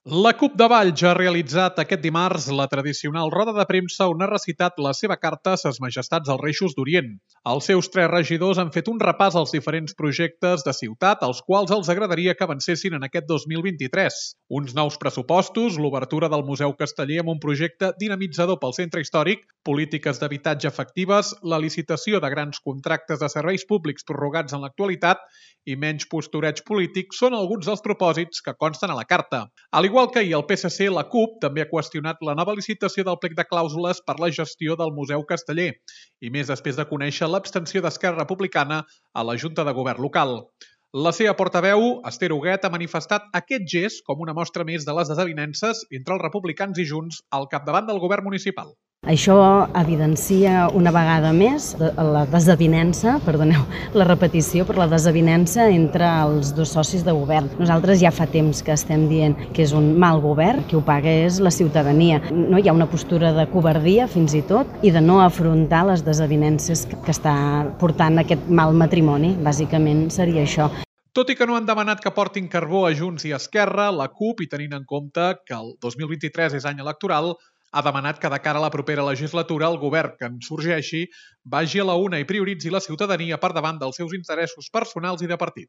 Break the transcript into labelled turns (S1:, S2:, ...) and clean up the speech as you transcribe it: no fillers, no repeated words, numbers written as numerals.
S1: La CUP de Valls ha realitzat aquest dimarts la tradicional roda de premsa on ha recitat la seva carta a Ses Majestats els Reixos d'Orient. Els seus 3 regidors han fet un repàs als diferents projectes de ciutat als quals els agradaria que avancessin en aquest 2023. Uns nous pressupostos, l'obertura del Museu Casteller amb un projecte dinamitzador pel centre històric, polítiques d'habitatge efectives, la licitació de grans contractes de serveis públics prorrogats en l'actualitat i menys postureig polític són alguns dels propòsits que consten a la carta. Al igual que ahir el PSC, la CUP també ha qüestionat la nova licitació del plec de clàusules per la gestió del Museu Casteller, i més després de conèixer l'abstenció d'Esquerra Republicana a la Junta de Govern local. La seva portaveu, Esther Huguet, ha manifestat aquest gest com una mostra més de les desavinences entre els republicans i Junts al capdavant del govern municipal.
S2: Això evidencia una vegada més la desavinença, perdoneu la repetició, però la desavinença entre els dos socis de govern. Nosaltres ja fa temps que estem dient que és un mal govern, qui ho paga és la ciutadania. No hi ha una postura de covardia, fins i tot, i de no afrontar les desavinences que està portant aquest mal matrimoni. Bàsicament seria això.
S1: Tot i que no han demanat que portin carbó a Junts i Esquerra, la CUP, i tenint en compte que el 2023 és any electoral, ha demanat que de cara a la propera legislatura el govern que en sorgeixi vagi a la una i prioritzi la ciutadania per davant dels seus interessos personals i de partit.